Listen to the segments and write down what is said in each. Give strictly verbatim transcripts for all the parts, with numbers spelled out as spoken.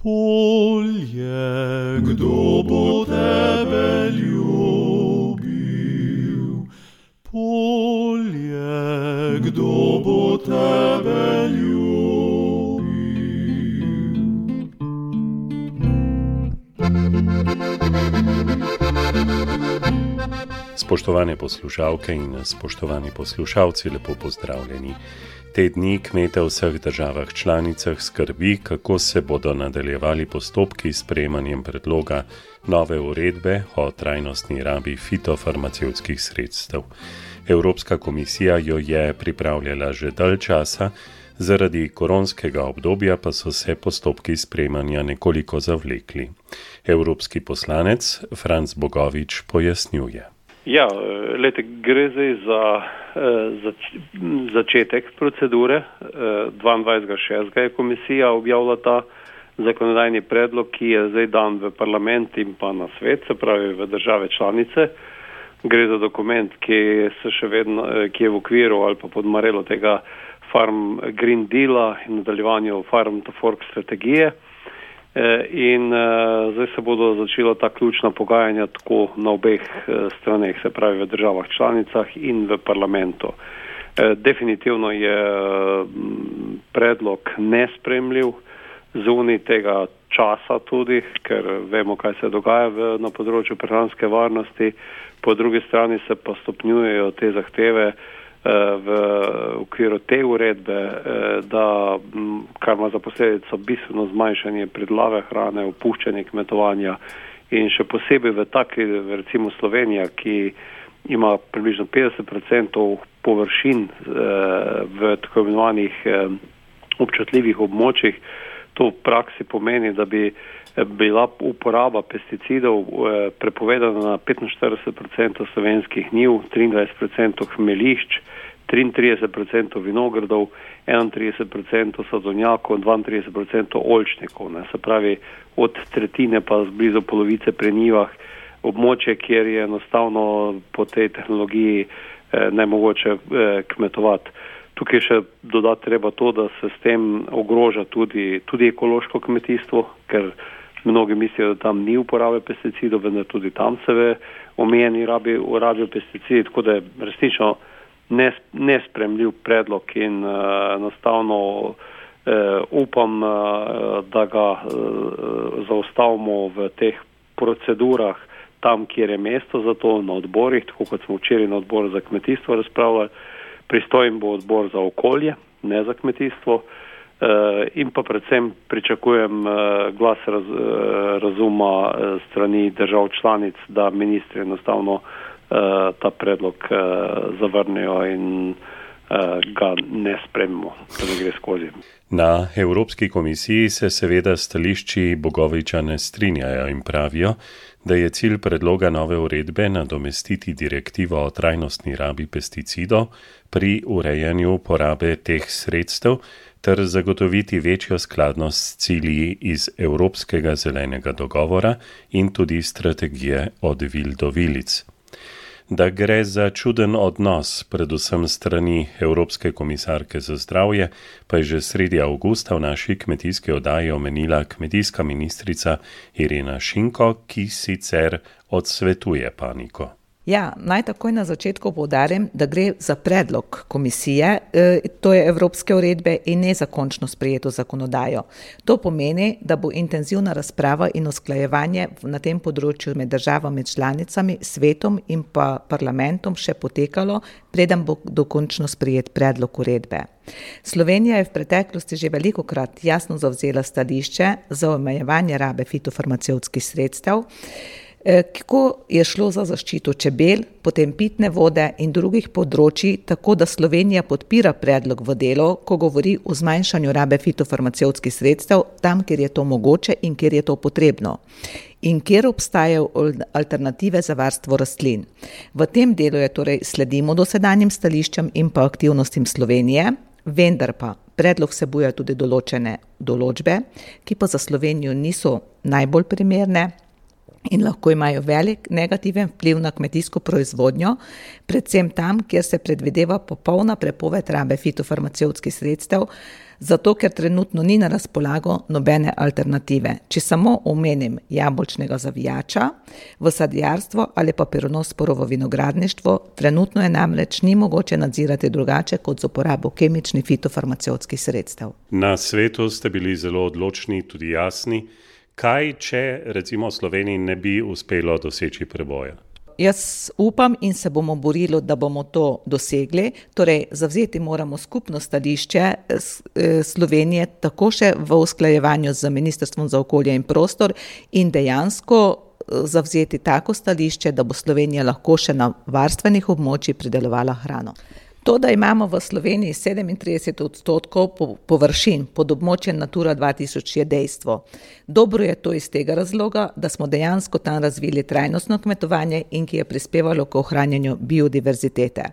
Polje, kdo bo tebe ljubil? Polje, kdo bo tebe ljubil? Spoštovane poslušalke in spoštovani poslušalci, lepo pozdravljeni. Te dni kmete v vseh državah članicah skrbi, kako se bodo nadaljevali postopki s sprejemanjem predloga nove uredbe o trajnostni rabi fitofarmacevtskih sredstev. Evropska komisija jo je pripravljala že dalj časa, zaradi koronskega obdobja pa so se postopki sprejemanja nekoliko zavlekli. Evropski poslanec Franc Bogovič pojasnjuje. Ja, lete, gre zdaj za za začetek procedure. dvaindvajsetega šestega je komisija objavila ta zakonodajni predlog, ki je zdaj dan v parlament in pa na svet, se pravi v države članice. Gre za dokument, ki se še vedno, ki je v okviru ali pa pod marelo tega Farm Green Deala in nadaljevanju Farm to Fork strategije. In uh, zdaj se bodo začela ta ključna pogajanja tako na obeh uh, straneh, se pravi v državah članicah in v parlamentu. Uh, definitivno je uh, predlog nespremljiv zunaj tega časa tudi, ker vemo, kaj se dogaja v, na področju prehranske varnosti. Po drugi strani se pa stopnjujejo te zahteve v okviru te uredbe, da kar ima za posledico bistveno zmanjšanje pridelave hrane, opuščanje kmetovanja in še posebej v taki, recimo Slovenija, ki ima približno petdeset procentov površin v tako imenovanih občutljivih območjih. To v praksi pomeni, da bi bila uporaba pesticidov prepovedana na petinštirideset procentov slovenskih njiv, triindvajset procentov hmelišč, triintrideset procentov vinogradov, enaintrideset procentov sadovnjakov, dvaintrideset procentov oljčnikov. Ne. Se pravi, od tretjine pa blizu polovice pri njivah, območje, kjer je enostavno po tej tehnologiji eh, nemogoče eh, kmetovati. Tukaj še dodati treba to, da se s tem ogroža tudi, tudi ekološko kmetijstvo, ker mnogi mislijo, da tam ni uporabe pesticidov, vendar tudi tam se ve omejeni rabi, rabijo pesticidi, tako da je resnično nespremljiv predlog in uh, enostavno uh, upam, uh, da ga uh, zaustavimo v teh procedurah tam, kjer je mesto za to, na odborih, tako kot smo včeraj na odboru za kmetijstvo razpravljali. Pristojen bo odbor za okolje, ne za kmetijstvo, in pa predvsem pričakujem glas raz, razuma strani držav članic, da ministri enostavno ta predlog zavrnejo in ga ne spremimo, da ne gre skozi. Na Evropski komisiji se seveda stališči Bogoviča ne strinjajo in pravijo, da je cilj predloga nove uredbe nadomestiti direktivo o trajnostni rabi pesticidov pri urejanju porabe teh sredstev ter zagotoviti večjo skladnost s cilji iz Evropskega zelenega dogovora in tudi strategije od vil do vilic. Da gre za čuden odnos, predvsem strani Evropske komisarke za zdravje, pa je že sredi avgusta v naši kmetijski oddaji omenila kmetijska ministrica Irena Šinko, ki sicer odsvetuje paniko. Ja, naj takoj na začetku poudarim, da gre za predlog komisije, to je evropske uredbe in ne za končno sprejeto zakonodajo. To pomeni, da bo intenzivna razprava in usklajevanje na tem področju med državami članicami, svetom in pa parlamentom še potekalo, preden bo dokončno sprejet predlog uredbe. Slovenija je v preteklosti že velikokrat jasno zavzela stališče za omejevanje rabe fitofarmacevtskih sredstev, ko je šlo za zaščito čebel, potem pitne vode in drugih področji, tako da Slovenija podpira predlog v delu, ko govori o zmanjšanju rabe fitofarmacevtskih sredstev tam, kjer je to mogoče in kjer je to potrebno in kjer obstajajo alternative za varstvo rastlin. V tem delu je torej sledimo dosedanjim stališčem in pa aktivnostim Slovenije, vendar pa predlog vsebuje tudi določene določbe, ki pa za Slovenijo niso najbolj primerne, in lahko imajo velik negativen vpliv na kmetijsko proizvodnjo, predvsem tam, kjer se predvideva popolna prepoved rabe fitofarmacevtskih sredstev, zato ker trenutno ni na razpolago nobene alternative. Če samo omenim jabolčnega zavijača v sadjarstvo ali pa peronosporovo vinogradništvo, trenutno je namreč ni mogoče nadzirati drugače kot z uporabo kemičnih fitofarmacevtskih sredstev. Na svetu ste bili zelo odločni, tudi jasni. Kaj, če recimo Sloveniji ne bi uspelo doseči preboja? Jaz upam in se bomo borili, da bomo to dosegli. Torej, zavzeti moramo skupno stališče Slovenije, tako še v usklajevanju z Ministrstvom za okolje in prostor in dejansko zavzeti tako stališče, da bo Slovenija lahko še na varstvenih območjih pridelovala hrano. To, da imamo v Sloveniji sedemintrideset odstotkov površin pod območjem Natura dva tisoč, je dejstvo. Dobro je to iz tega razloga, da smo dejansko tam razvili trajnostno kmetovanje in ki je prispevalo k ohranjanju biodiverzitete.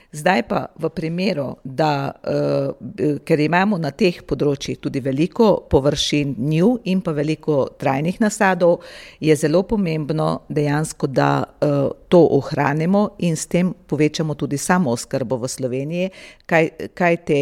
Zdaj pa v primeru, da, uh, ker imamo na teh področjih tudi veliko površin njiv in pa veliko trajnih nasadov, je zelo pomembno dejansko, da uh, to ohranimo in s tem povečamo tudi samooskrbo v Sloveniji, kaj, kaj te,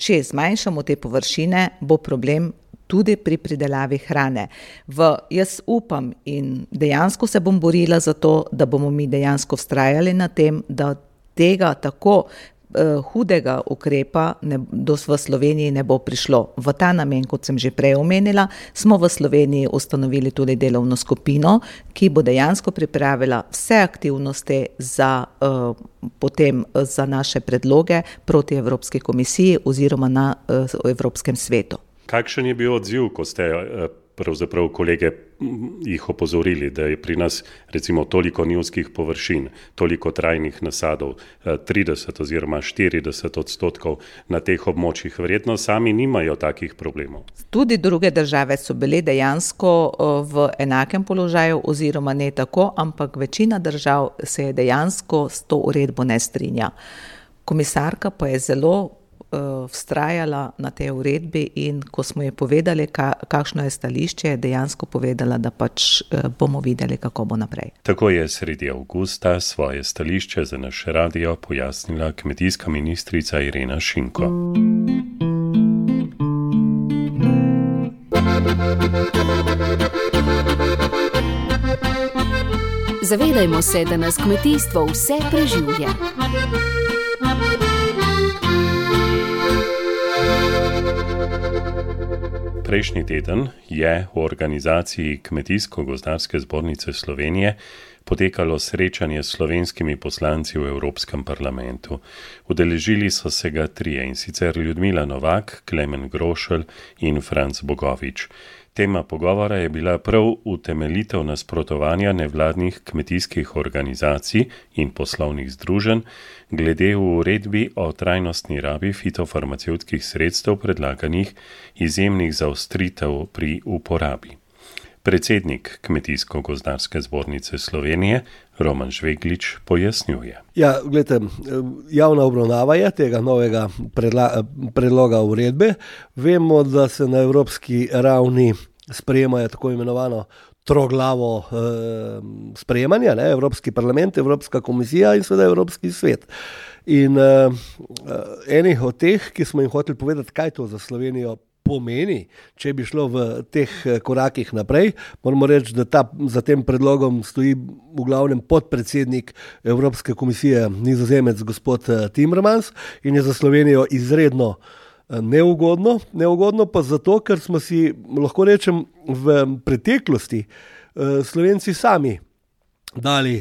če zmanjšamo te površine, bo problem tudi pri pridelavi hrane. V, jaz upam in dejansko se bom borila za to, da bomo mi dejansko vztrajali na tem, da tega tako uh, hudega ukrepa ne, do, v Sloveniji ne bo prišlo. V ta namen, kot sem že prej omenila, smo v Sloveniji ustanovili tudi delovno skupino, ki bo dejansko pripravila vse aktivnosti za, uh, potem, za naše predloge proti Evropski komisiji oziroma na uh, Evropskem svetu. Kakšen je bil odziv, ko ste uh, pravzaprav kolege jih opozorili, da je pri nas recimo toliko njivskih površin, toliko trajnih nasadov, trideset oziroma štirideset odstotkov na teh območjih, verjetno sami nimajo takih problemov. Tudi druge države so bile dejansko v enakem položaju oziroma ne tako, ampak večina držav se je dejansko s to uredbo ne strinja. Komisarka pa je zelo vztrajala na tej uredbi in ko smo ji povedali, ka, kakšno je stališče, je dejansko povedala, da pač bomo videli, kako bo naprej. Tako je sredi avgusta svoje stališče za naš radio pojasnila kmetijska ministrica Irena Šinko. Zavedajmo se, da nas kmetijstvo vse preživlja. Prejšnji teden je v organizaciji Kmetijsko-gozdarske zbornice Slovenije potekalo srečanje s slovenskimi poslanci v Evropskem parlamentu. Udeležili so se ga trije, in sicer Ljudmila Novak, Klemen Grošelj in Franc Bogovič. Tema pogovora je bila prav utemeljitev nasprotovanja nevladnih kmetijskih organizacij in poslovnih združenj glede v uredbi o trajnostni rabi fitofarmacevtskih sredstev predlaganih izjemnih zaostritev pri uporabi. Predsednik Kmetijsko-gozdarske zbornice Slovenije Roman Žveglič pojasnjuje. Ja, gledajte, javna obravnava je tega novega predla, predloga uredbe. Vemo, da se na evropski ravni sprejemajo tako imenovano troglavo eh, sprejemanja, ne? Evropski parlament, Evropska komisija in seveda Evropski svet. In eh, enih od teh, ki smo jim hoteli povedati, kaj to za Slovenijo pomeni, če bi šlo v teh korakih naprej. Moramo reči, da ta, za tem predlogom stoji v glavnem podpredsednik Evropske komisije, Nizozemec gospod Timmermans, in je za Slovenijo izredno neugodno. Neugodno pa zato, ker smo si, lahko rečem, v preteklosti Slovenci sami dali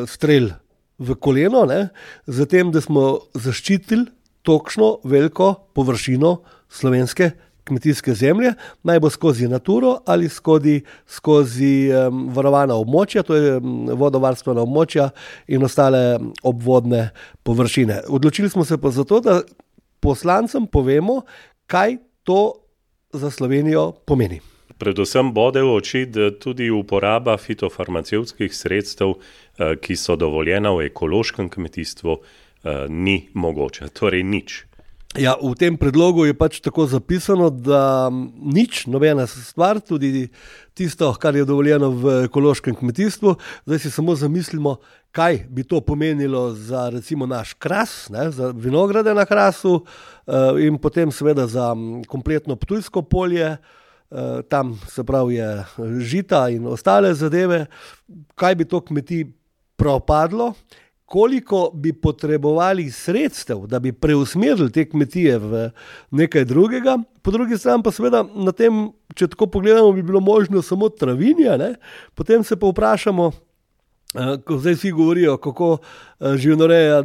strel v koleno, ne, za tem, da smo zaščitili točno veliko površino slovenske kmetijske zemlje, naj bo skozi Naturo ali skozi, skozi um, varovana območja, to je um, vodovarstvena območja in ostale obvodne površine. Odločili smo se pa zato, da poslancem povemo, kaj to za Slovenijo pomeni. Predvsem bode v oči, da tudi uporaba fitofarmacevtskih sredstev, ki so dovoljena v ekološkem kmetijstvu, ni mogoča, torej nič. Ja, v tem predlogu je pač tako zapisano, da nič, nobena stvar, tudi tisto, kar je dovoljeno v ekološkem kmetijstvu, zdaj si samo zamislimo, kaj bi to pomenilo za recimo naš kras, ne, za vinograde na krasu in potem seveda za kompletno Ptujsko polje, tam se pravi je žita in ostale zadeve, kaj bi to kmetij propadlo, koliko bi potrebovali sredstev, da bi preusmerili te kmetije v nekaj drugega. Po drugi strani pa seveda na tem, če tako pogledamo, bi bilo možno samo travinje, ne? Potem se pa vprašamo, ko zdaj vsi govorijo, kako živinoreja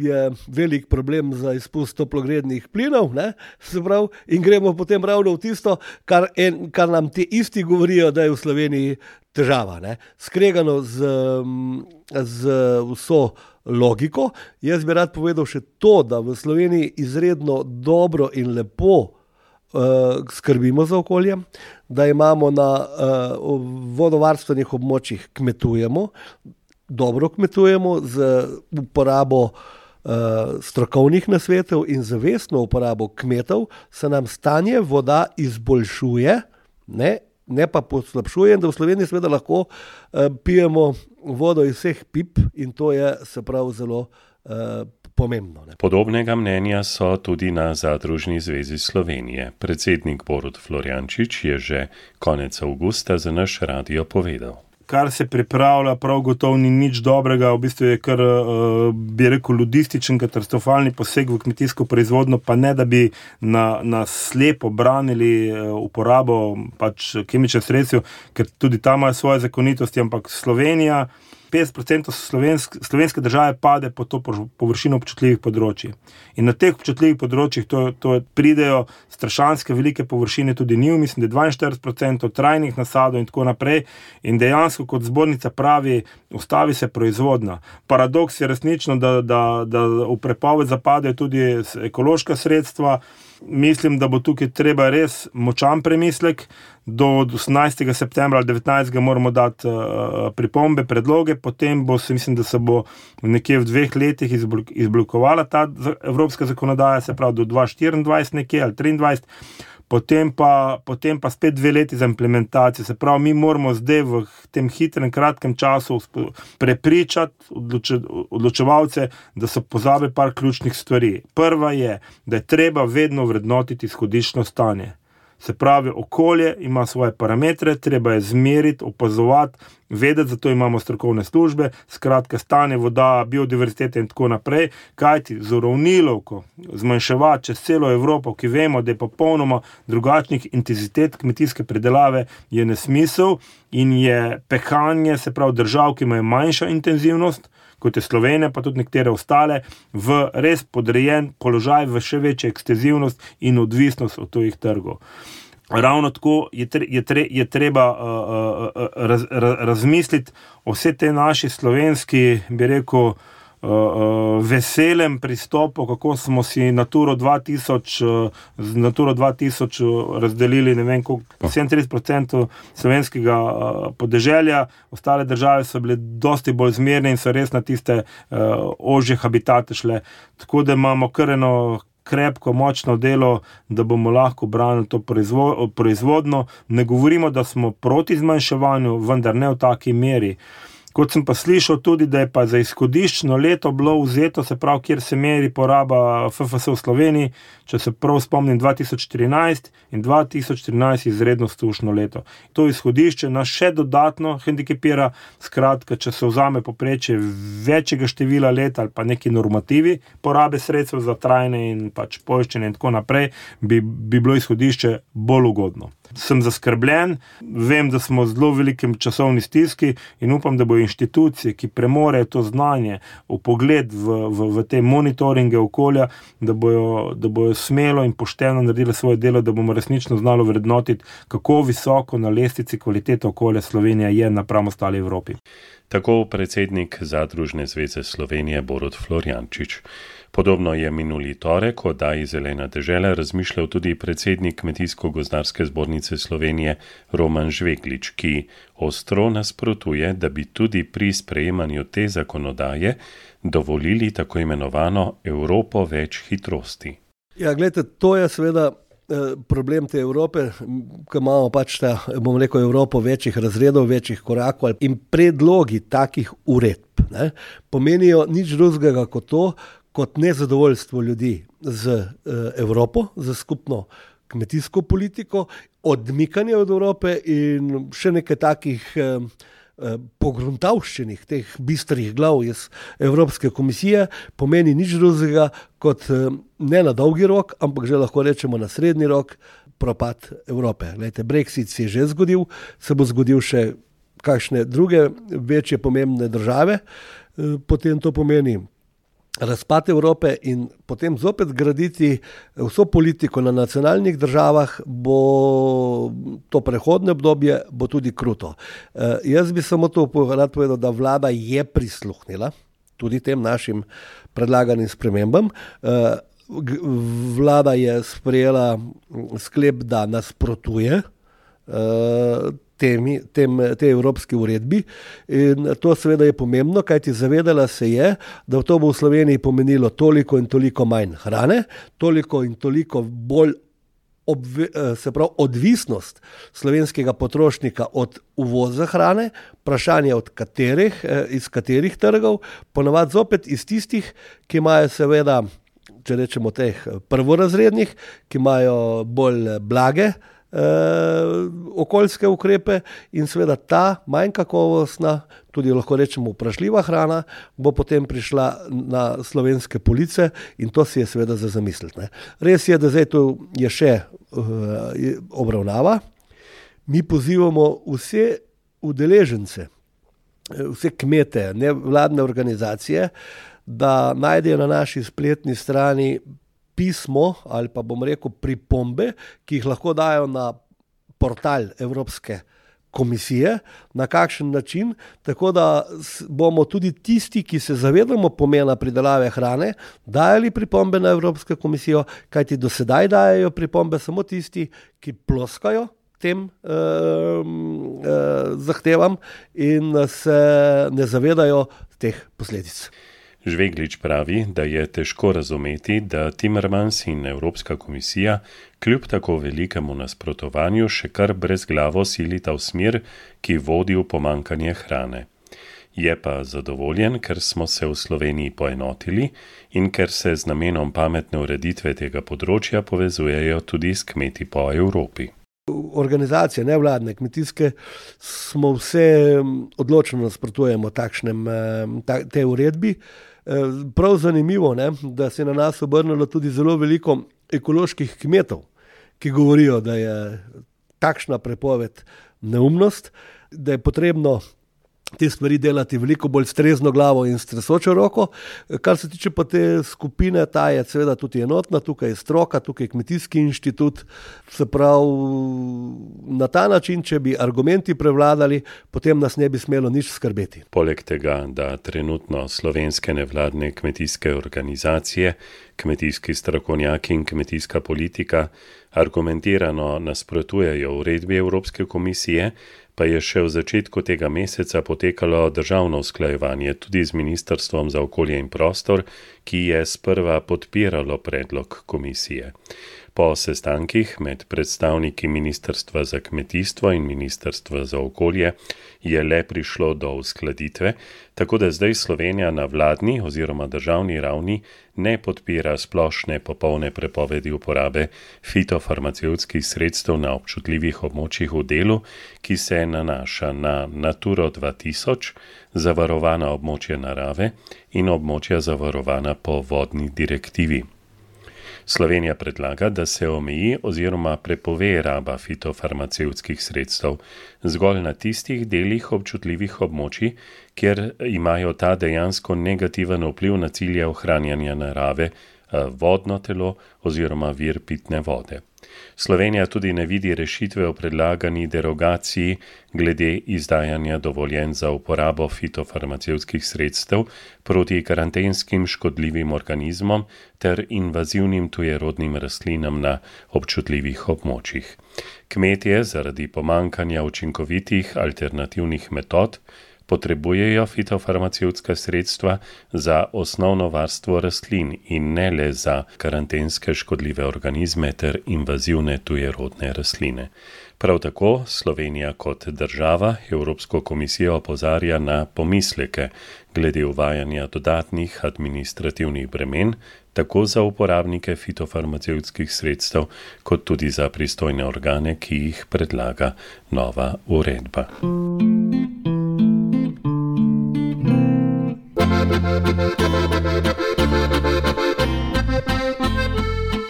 je velik problem za izpust toplogrednih plinov, ne? Se pravi, in gremo potem ravno v tisto, kar, en, kar nam ti isti govorijo, da je v Sloveniji težava, ne? Skregano z, z vso logiko. Jaz bi rad povedal še to, da v Sloveniji izredno dobro in lepo uh, skrbimo za okolje, da imamo na uh, vodovarstvenih območjih kmetujemo, dobro kmetujemo z uporabo uh, strokovnih nasvetov in zavestno uporabo kmetov, se nam stanje voda izboljšuje, ne? Ne pa poslabšuje, da v Sloveniji seveda lahko uh, pijemo vodo iz vseh pip in to je se prav zelo uh, pomembno. Ne? Podobnega mnenja so tudi na Zadružni zvezi Slovenije. Predsednik Borut Florjančič je že konec avgusta za naš radio povedal. Kar se pripravlja, prav gotovo ni nič dobrega, v bistvu je kar, bi rekel, ludističen, katastrofalni poseg v kmetijsko proizvodno, pa ne, da bi na, na slepo branili uporabo pač kemičnih sredstev, ker tudi tam imajo svoje zakonitosti, ampak Slovenija, petdeset procentov slovenske, slovenske države pade po to površino občutljivih področji. In na teh občutljivih področjih to, to pridejo strašanske velike površine, tudi njiv, mislim, da je dvainštirideset procentov trajnih nasadov in tako naprej. In dejansko, kot zbornica pravi, ustavi se proizvodnja. Paradoks je resnično, da, da, da v prepoved zapadejo tudi ekološka sredstva. Mislim, da bo tukaj treba res močan premislek. Do osemnajstega septembra ali devetnajstega moramo dati uh, pripombe, predloge, potem bo se, mislim, da se bo nekje v dveh letih izblokovala ta evropska zakonodaja, se pravi do dva tisoč štiriindvajset nekje ali triindvajset, potem pa, potem pa spet dve leti za implementacijo. Se pravi, mi moramo zdaj v tem hitrem, kratkem času prepričati odloče, odločevalce, da so pozabili par ključnih stvari. Prva je, da je treba vedno vrednotiti izhodiščno stanje. Se pravi, okolje ima svoje parametre, treba je zmeriti, opazovati, vedeti, zato imamo strokovne službe, skratka stanje voda, biodiverzitete in tako naprej, kajti z uravnilovko zmanjševati čez celo Evropo, ki vemo, da je popolnoma drugačnih intenzitet kmetijske predelave, je nesmisel in je pehanje, se pravi držav, ki imajo manjšo intenzivnost, kot je Slovenija, pa tudi nekatere ostale, v res podrejen položaj, v še večjo ekstenzivnost in odvisnost od tujih trgov. Ravno tako je, tre, je, tre, je treba uh, raz, raz, razmisliti o vse te naši slovenski, bi rekel, uh, uh, veselem pristopu, kako smo si Naturo dva tisoč, uh, z Naturo dva tisoč razdelili, ne vem, koliko, sedemintrideset procentov slovenskega uh, podeželja, ostale države so bile dosti bolj zmerne in so res na tiste uh, ožje habitate šle. Tako da imamo kar eno krepko, močno delo, da bomo lahko branili to proizvodno. Ne govorimo, da smo proti zmanjševanju, vendar ne v taki meri. Kot sem pa slišal tudi, da je pa za izhodiščno leto bilo vzeto, se pravi, kjer se meri poraba F F S v Sloveniji, če se prav spomnim, dva tisoč štirinajst in dva tisoč trinajst izredno sušno leto. To izhodišče nas še dodatno hendikepira, skratka, če se vzame poprečje večjega števila let ali pa neki normativi porabe sredstev za trajne in pač poiščenje in tako naprej, bi, bi bilo izhodišče bolj ugodno. Sem zaskrbljen, vem, da smo v zelo velikem časovni stiski in upam, da bo inštitucije, ki premorejo to znanje, v pogled v, v, v te monitoringe okolja, da bojo, da bojo smelo in pošteno naredili svoje delo, da bomo resnično znali vrednotiti, kako visoko na lestvici kvalitete okolja Slovenija je napram ostali Evropi. Tako predsednik Zadružne zveze Slovenije Borut Florjančič. Podobno je minuli torek o oddaji Zelena dežela razmišljal tudi predsednik Kmetijsko-gozdarske zbornice Slovenije Roman Žveglič, ki ostro nasprotuje, da bi tudi pri sprejemanju te zakonodaje dovolili tako imenovano Evropo več hitrosti. Ja, gledajte, to je seveda problem te Evrope, ki imamo pač ta, bom rekel, Evropo večjih razredov, večjih korakov in predlogi takih uredb ne, pomenijo nič drugega kot to, kot nezadovoljstvo ljudi z Evropo, z skupno kmetijsko politiko, odmikanje od Evrope in še nekaj takih pogruntavščenih, teh bistrih glav iz Evropske komisije pomeni nič drugega kot ne na dolgi rok, ampak že lahko rečemo na srednji rok propad Evrope. Glejte, Brexit se je že zgodil, se bo zgodil še kakšne druge večje pomembne države, potem to pomeni razpad Evrope in potem zopet graditi vso politiko na nacionalnih državah, bo to prehodne obdobje, bo tudi kruto. E, jaz bi samo to rad povedal, da vlada je prisluhnila tudi tem našim predlaganim spremembam. E, vlada je sprejela sklep, da nasprotuje e, Temi, tem, te evropski uredbi in to seveda je pomembno, kajti zavedala se je, da to bo v Sloveniji pomenilo toliko in toliko manj hrane, toliko in toliko bolj obve, se pravi, odvisnost slovenskega potrošnika od uvoza hrane, vprašanje od katerih, iz katerih trgov, ponavadi zopet iz tistih, ki imajo seveda, če rečemo teh prvorazrednih, ki imajo bolj blage Uh, okoljske ukrepe in seveda ta manj kakovostna, tudi lahko rečemo vprašljiva hrana, bo potem prišla na slovenske police in to si je seveda za zamisliti. Ne. Res je, da zdaj tu je še uh, obravnava. Mi pozivamo vse udeležence, vse kmete, nevladne organizacije, da najdejo na naši spletni strani pismo ali pa bom rekel pripombe, ki jih lahko dajo na portal Evropske komisije, na kakšen način, tako da bomo tudi tisti, ki se zavedamo pomena pridelave hrane, dajali pripombe na Evropsko komisijo, kajti do sedaj dajajo pripombe samo tisti, ki ploskajo tem eh, eh, zahtevam in se ne zavedajo teh posledic. Žveglič pravi, da je težko razumeti, da Timmermans in Evropska komisija kljub tako velikemu nasprotovanju še kar brezglavo silita v smer, ki vodi v pomanjkanje hrane. Je pa zadovoljen, ker smo se v Sloveniji poenotili in ker se z namenom pametne ureditve tega področja povezujejo tudi s kmeti po Evropi. Organizacije, nevladne, kmetijske, smo vse odločno nasprotujemo takšnem, ta, te uredbi. Prav zanimivo, ne, da se je na nas obrnilo tudi zelo veliko ekoloških kmetov, ki govorijo, da je takšna prepoved neumnost, da je potrebno te stvari delati veliko bolj strezno glavo in stresočo roko. Kar se tiče pa te skupine, ta je seveda tudi enotna, tukaj je stroka, tukaj je kmetijski inštitut, se pravi, na ta način, če bi argumenti prevladali, potem nas ne bi smelo nič skrbeti. Poleg tega, da trenutno slovenske nevladne kmetijske organizacije, kmetijski strokovnjaki in kmetijska politika argumentirano nasprotujejo uredbi Evropske komisije, pa je še v začetku tega meseca potekalo državno usklajevanje tudi z Ministrstvom za okolje in prostor, ki je sprva podpiralo predlog komisije. Po sestankih med predstavniki Ministrstva za kmetijstvo in Ministrstva za okolje je le prišlo do uskladitve, tako da zdaj Slovenija na vladni oziroma državni ravni ne podpira splošne popolne prepovedi uporabe fitofarmacevtskih sredstev na občutljivih območjih v delu, ki se nanaša na Naturo dva tisoč, zavarovana območja narave in območja zavarovana po vodni direktivi. Slovenija predlaga, da se omeji oziroma prepove raba fitofarmacevtskih sredstev zgolj na tistih delih občutljivih območij, kjer imajo ta dejansko negativen vpliv na cilje ohranjanja narave, vodno telo oziroma vir pitne vode. Slovenija tudi ne vidi rešitve o predlagani derogaciji glede izdajanja dovoljenj za uporabo fitofarmacevtskih sredstev proti karantenskim škodljivim organizmom ter invazivnim tujerodnim rastlinam na občutljivih območjih. Kmetje zaradi pomankanja učinkovitih alternativnih metod potrebujejo fitofarmacevtska sredstva za osnovno varstvo rastlin in ne le za karantenske škodljive organizme ter invazivne tujerodne rastline. Prav tako Slovenija kot država Evropsko komisijo opozarja na pomisleke glede uvajanja dodatnih administrativnih bremen, tako za uporabnike fitofarmacevtskih sredstev, kot tudi za pristojne organe, ki jih predlaga nova uredba.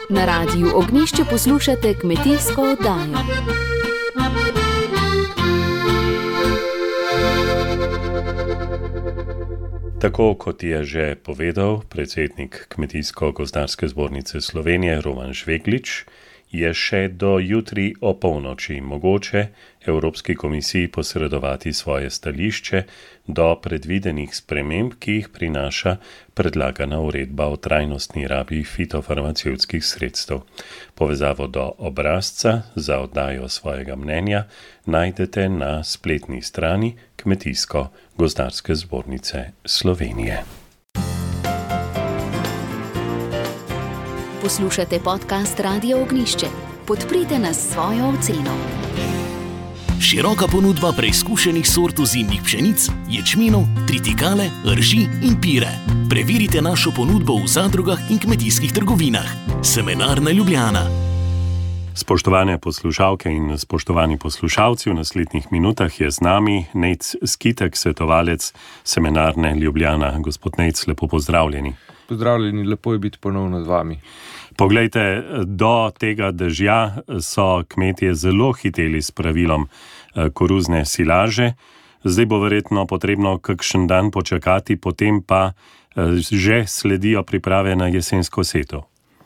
Na Radiu Ognjišče poslušate kmetijsko oddajo. Tako kot je že povedal predsednik Kmetijsko-gozdarske zbornice Slovenije Roman Žveglič, je še do jutri opolnoči mogoče Evropski komisiji posredovati svoje stališče do predvidenih sprememb, ki jih prinaša predlagana uredba o trajnostni rabi fitofarmacevtskih sredstev. Povezavo do obrazca za oddajo svojega mnenja najdete na spletni strani Kmetijsko-gozdarske zbornice Slovenije. Poslušate podcast Radia Ognjišče. Podprite nas s svojo oceno. Široka ponudba preizkušenih sort ozimnih pšenic, ječmenov, tritikale, rži in pire. Preverite našo ponudbo v zadrugah in kmetijskih trgovinah. Semenarna Ljubljana. Spoštovane poslušalke in spoštovani poslušalci, v naslednjih minutah je z nami Nejc Skitek, svetovalec Semenarne Ljubljana. Gospod Nejc, lepo pozdravljeni. Pozdravljeni, lepo je biti ponovno z vami. Poglejte, do tega dežja so kmetje zelo hiteli s pravilom koruzne silaže. Zdaj bo verjetno potrebno kakšen dan počakati, potem pa že sledijo priprave na jesensko setev.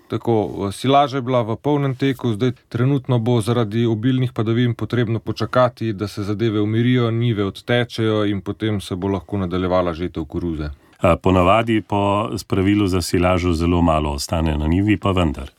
Tako, silaža je bila v polnem teku, zdaj trenutno bo zaradi obilnih padavin potrebno počakati, da se zadeve umirijo, njive odtečejo in potem se bo lahko nadaljevala žetev koruze. Ponavadi po spravilu za silažo zelo malo ostane na njivi, pa vendar.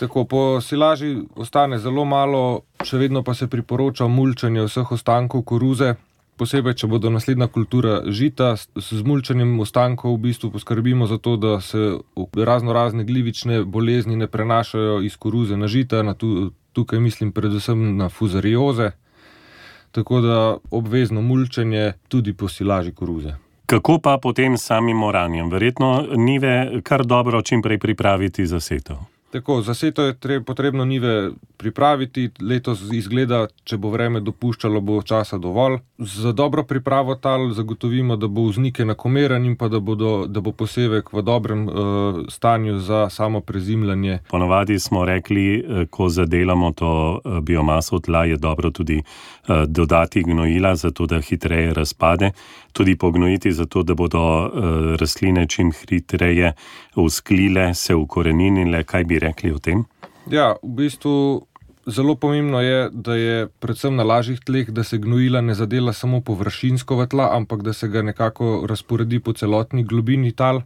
Tako, po silaži ostane zelo malo, še vedno pa se priporoča mulčanje vseh ostankov koruze, posebej, če bodo naslednja kultura žita. Z mulčanjem ostankov v bistvu poskrbimo za to, da se razno razne glivične bolezni ne prenašajo iz koruze na žita, na tu, tukaj mislim predvsem na fuzarioze, tako da obvezno mulčanje tudi po silaži koruze. Kako pa potem samim oranjem? Verjetno njive kar dobro čim prej pripraviti za setev. Tako, za setev je treba, potrebno njive pripraviti. Letos izgleda, če bo vreme dopuščalo, bo časa dovolj. Za dobro pripravo tal zagotovimo, da bo vznik enakomeren in pa da, bodo, da bo posevek v dobrem uh, stanju za samo prezimljanje. Ponavadi smo rekli, ko zadelamo to biomaso tla, je dobro tudi uh, dodati gnojila, zato da hitreje razpade. Tudi pognojiti, zato da bodo uh, rastline čim hitreje usklile, se ukoreninile. Kaj bi rekli o tem? Ja, v bistvu zelo pomembno je, da je predvsem na lažjih tleh, da se gnojila ne zadela samo površinsko v tla, ampak da se ga nekako razporedi po celotni globini tal.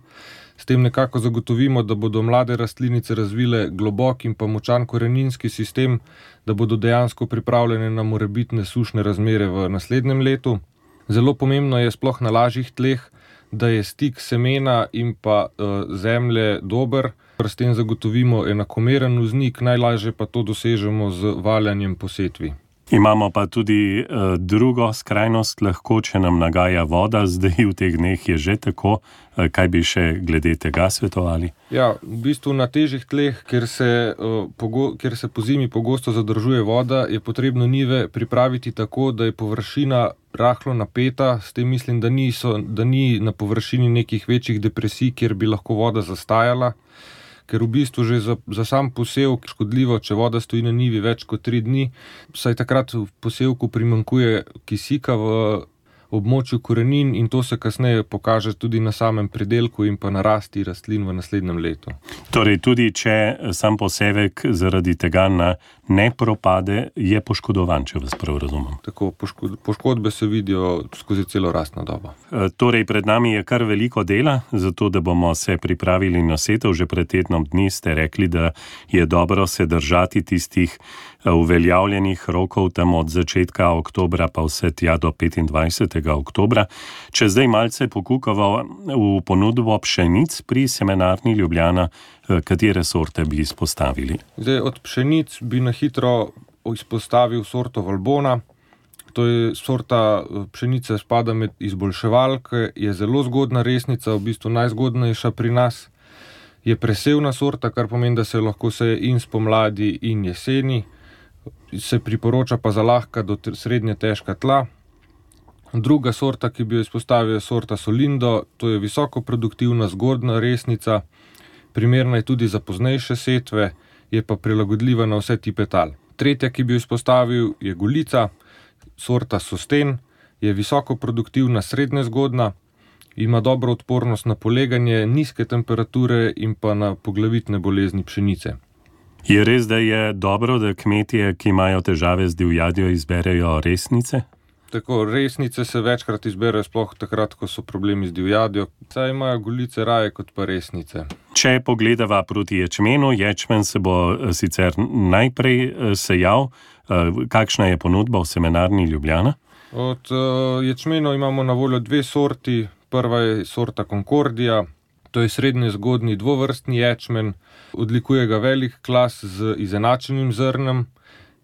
S tem nekako zagotovimo, da bodo mlade rastlinice razvile globok in pa močan koreninski sistem, da bodo dejansko pripravljene na morebitne sušne razmere v naslednjem letu. Zelo pomembno je sploh na lažjih tleh, da je stik semena in pa uh, zemlje dober, s tem zagotovimo enakomeren vznik, najlažje pa to dosežemo z valjanjem po setvi. Imamo pa tudi uh, drugo skrajnost, lahko, če nam nagaja voda, zdaj v teh dneh je že tako, uh, kaj bi še glede tega svetovali? Ja, v bistvu na težjih tleh, kjer se, uh, pogo- kjer se po zimi pogosto zadržuje voda, je potrebno njive pripraviti tako, da je površina rahlo napeta, s tem mislim, da, niso, da ni na površini nekih večjih depresij, kjer bi lahko voda zastajala. Ker v bistvu že za, za sam posevek škodljivo, če voda stoji na njivi več kot tri dni, saj takrat v posevku primanjkuje kisika v območju korenin in to se kasneje pokaže tudi na samem pridelku in pa na rasti rastlin v naslednjem letu. Torej tudi, če sam posevek zaradi tega ne propade, je poškodovan, če vas prav razumem. Tako, poškod, poškodbe se vidijo skozi celo rastno dobo. E, torej, pred nami je kar veliko dela, zato da bomo se pripravili na setev. Že pred tednom dni ste rekli, da je dobro se držati tistih uveljavljenih rokov tam od začetka oktobra pa vse tja do petindvajsetega petega oktobra. Če zdaj malce pokukava v ponudbo pšenic pri Semenarni Ljubljana, katere sorte bi izpostavili? Zdaj, od pšenic bi na hitro izpostavil sorto Valbona. To je sorta pšenice, spada med izboljševalke, je zelo zgodna resnica, v bistvu najzgodnejša pri nas. Je presevna sorta, kar pomeni, da se lahko seje in spomladi in jeseni. Se priporoča pa za lahka do srednje težka tla. Druga sorta, ki bi jo izpostavil, je sorta Solindo. To je visokoproduktivna, zgodna resnica. Primerna je tudi za poznejše setve, je pa prilagodljiva na vse tipe tal. Tretja, ki bi jo izpostavil, je Golica. Sorta Sosten je visokoproduktivna, srednje zgodna. Ima dobro odpornost na poleganje, nizke temperature in pa na poglavitne bolezni pšenice. Je res, da je dobro, da kmetje, ki imajo težave z divjadjo, izberejo resnice? Tako, resnice se večkrat izberejo sploh takrat, ko so problemi z divjadjo. Saj imajo Golice raje kot pa resnice. Če pogledava proti ječmenu, ječmen se bo sicer najprej sejal. Kakšna je ponudba v Semenarni Ljubljana? Od uh, ječmenov imamo na voljo dve sorti. Prva je sorta Concordia, to je srednje zgodni dvovrstni ječmen, odlikuje ga velik klas z izenačenim zrnem.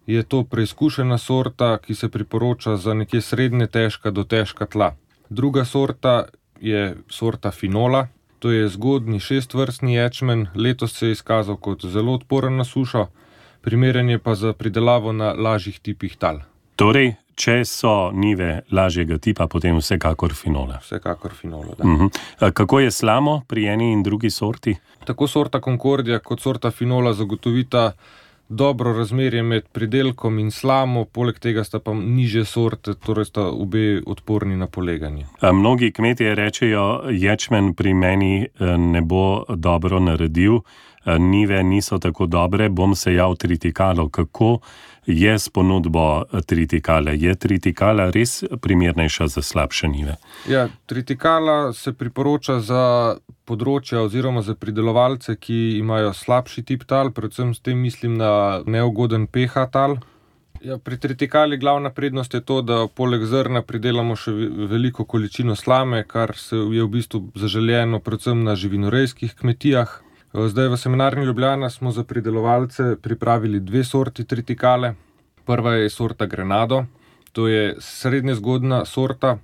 Je to preizkušena sorta, ki se priporoča za nekje srednje težka do težka tla. Druga sorta je sorta Finola, to je zgodni šestvrstni ječmen, letos se je izkazal kot zelo odporen na sušo, primeren je pa za pridelavo na lažjih tipih tal. Torej, če so nive lažjega tipa, potem vsekakor Finola. Vsekakor Finola, da. Uh-huh. Kako je slamo pri eni in drugi sorti? Tako sorta Concordia kot sorta Finola zagotovita dobro razmerje med pridelkom in slamo, poleg tega sta pa nižje sorte, torej sta obe odporni na poleganje. A mnogi kmetje rečejo, ječmen pri meni ne bo dobro naredil, nive niso tako dobre, bom sejal tritikalo. Kako je s ponudbo tritikale? Je tritikala res primernejša za slabše nive? Ja, tritikala se priporoča za področja oziroma za pridelovalce, ki imajo slabši tip tal, predvsem s tem mislim na neugoden pH tal. Ja, pri tritikali glavna prednost je to, da poleg zrna pridelamo še veliko količino slame, kar se je v bistvu zaželjeno predvsem na živinorejskih kmetijah. Zdaj v Semenarni Ljubljana smo za pridelovalce pripravili dve sorti tritikale. Prva je sorta Grenado, to je srednje zgodna sorta,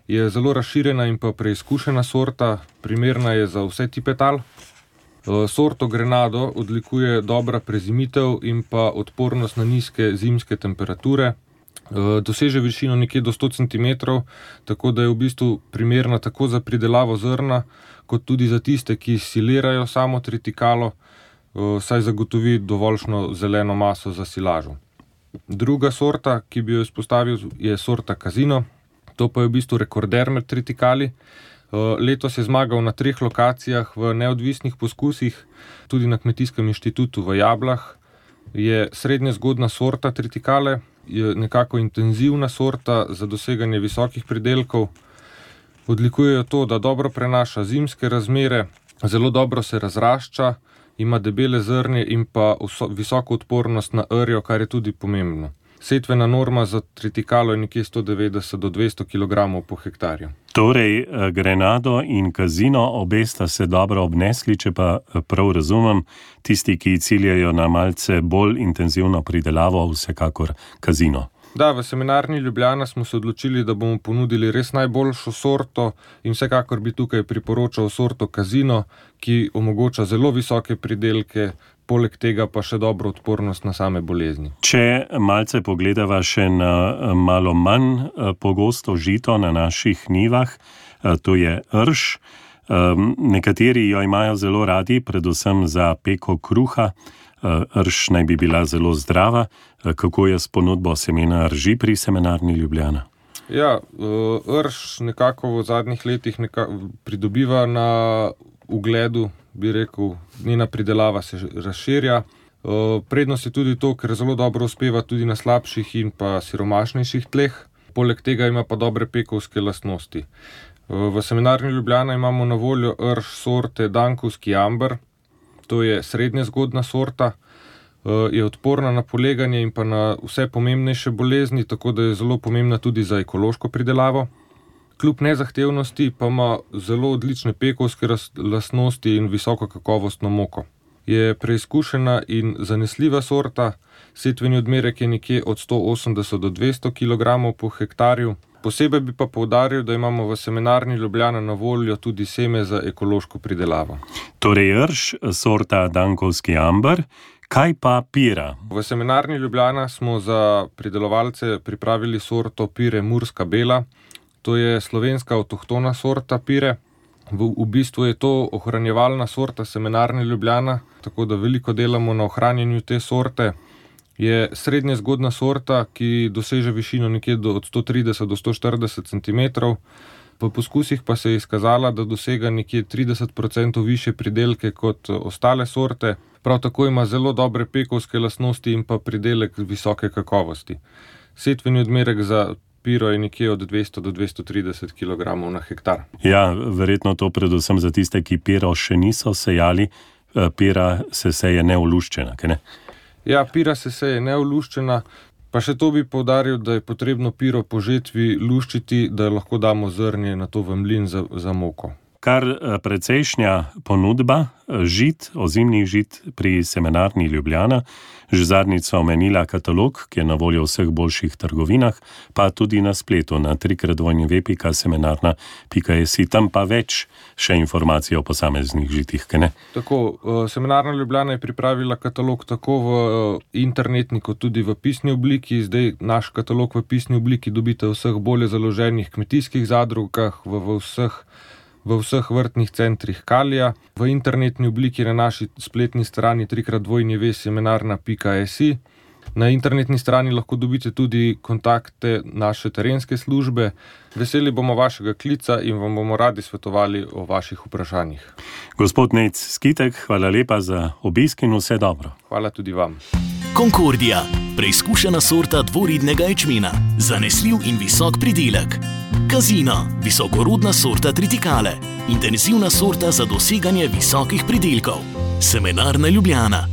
je zelo razširjena in pa preizkušena sorta, primerna je za vse tipe tal. Sorto Grenado odlikuje dobra prezimitev in pa odpornost na nizke zimske temperature. Doseže višino nekje do sto centimetrov, tako da je v bistvu primerna tako za pridelavo zrna, kot tudi za tiste, ki silirajo samo tritikalo, saj zagotovi dovoljšno zeleno maso za silažo. Druga sorta, ki bi jo izpostavil, je sorta Casino. To pa je v bistvu rekorder med tritikali. Letos je zmagal na treh lokacijah v neodvisnih poskusih, tudi na Kmetijskem inštitutu v Jablah. Je srednje zgodna sorta tritikale, je nekako intenzivna sorta za doseganje visokih pridelkov. Odlikujejo to, da dobro prenaša zimske razmere, zelo dobro se razrašča, ima debele zrnje in pa visoko odpornost na rjo, kar je tudi pomembno. Setvena norma za tritikalo je nekje sto devetdeset do dvesto kilogramov po hektarju. Torej, Grenado in Casino, obe sta se dobro obnesli, če pa prav razumem, tisti, ki ciljajo na malce bolj intenzivno pridelavo, vsekakor Casino. Da, v Semenarni Ljubljana smo se odločili, da bomo ponudili res najboljšo sorto in vsekakor bi tukaj priporočal sorto Casino, ki omogoča zelo visoke pridelke, poleg tega pa še dobro odpornost na same bolezni. Če malce pogledava še na malo manj pogosto žito na naših njivah, to je rž. Nekateri jo imajo zelo radi, predvsem za peko kruha. Rž naj bi bila zelo zdrava. Kako je s ponudbo semena rži pri Semenarni Ljubljana? Ja, rž nekako v zadnjih letih nekako pridobiva na ugledu, bi rekel, njena pridelava se razširja. Prednost je tudi to, ker zelo dobro uspeva tudi na slabših in pa siromašnejših tleh. Poleg tega ima pa dobre pekovske lastnosti. V Semenarni Ljubljana imamo na voljo rž sorte Dankovski amber. To je srednje zgodna sorta, je odporna na poleganje in pa na vse pomembnejše bolezni, tako da je zelo pomembna tudi za ekološko pridelavo. Kljub nezahtevnosti pa ima zelo odlične pekovske lastnosti in visoko kakovostno moko. Je preizkušena in zanesljiva sorta, setveni odmerek je nekje od sto osemdeset do dvesto kilogramov po hektarju. Posebej bi pa poudaril, da imamo v Semenarni Ljubljana na voljo tudi seme za ekološko pridelavo. Torej rž, sorta Dankovski amber, kaj pa pira? V Semenarni Ljubljana smo za pridelovalce pripravili sorto pire Murska bela. To je slovenska avtohtona sorta pire. V, v bistvu je to ohranjevalna sorta Semenarne Ljubljana, tako da veliko delamo na ohranjanju te sorte. Je srednje zgodna sorta, ki doseže višino nekje do, od sto trideset do sto štirideset centimetrov. V poskusih pa se je izkazala, da dosega nekje trideset procentov više pridelke kot ostale sorte. Prav tako ima zelo dobre pekovske lastnosti in pa pridelek visoke kakovosti. Setveni odmerek za piro je nekje od dvesto do dvesto trideset kilogramov na hektar. Ja, verjetno to predvsem za tiste, ki piro še niso sejali. Pira se seje neoluščena, kaj ne? Ja, pira se seje neoluščena. Pa še to bi poudaril, da je potrebno piro po žetvi luščiti, da lahko damo zrnje na to v mlin za, za moko. Kar precejšnja ponudba žit, ozimnih žit pri Semenarni Ljubljana. Že zadnjič sva omenila katalog, ki je na voljo v vseh boljših trgovinah, pa tudi na spletu na trikrat dvojni ve pika semenarna pika si. Tam pa več še informacij o posameznih žitih, kaj ne? Tako, Semenarna Ljubljana je pripravila katalog tako v internetni kot tudi v pisni obliki. Zdaj naš katalog v pisni obliki dobite v vseh bolje založenih kmetijskih zadrugah, v, v vseh v vseh vrtnih centrih Kalija. V internetni obliki na naši spletni strani trikrat dvojni ve semenarna pika si. Na internetni strani lahko dobite tudi kontakte naše terenske službe. Veseli bomo vašega klica in vam bomo radi svetovali o vaših vprašanjih. Gospod Nejc Skitek, hvala lepa za obisk in vse dobro. Hvala tudi vam. Concordia, preizkušena sorta dvoridnega ječmena, zanesljiv in visok pridelek. Casina, visokorodna sorta tritikale, intenzivna sorta za doseganje visokih pridelkov. Semenarna Ljubljana.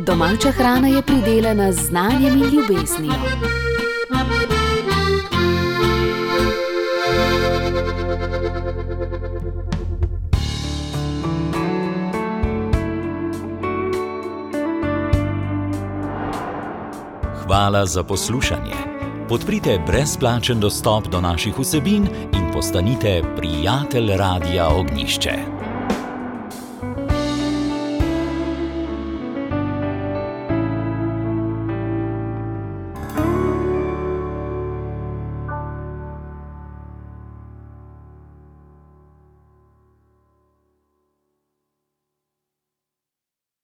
Domača hrana je pridelana z znanjem in ljubeznijo. Hvala za poslušanje. Podprite brezplačen dostop do naših vsebin in postanite prijatelj Radia Ognišče.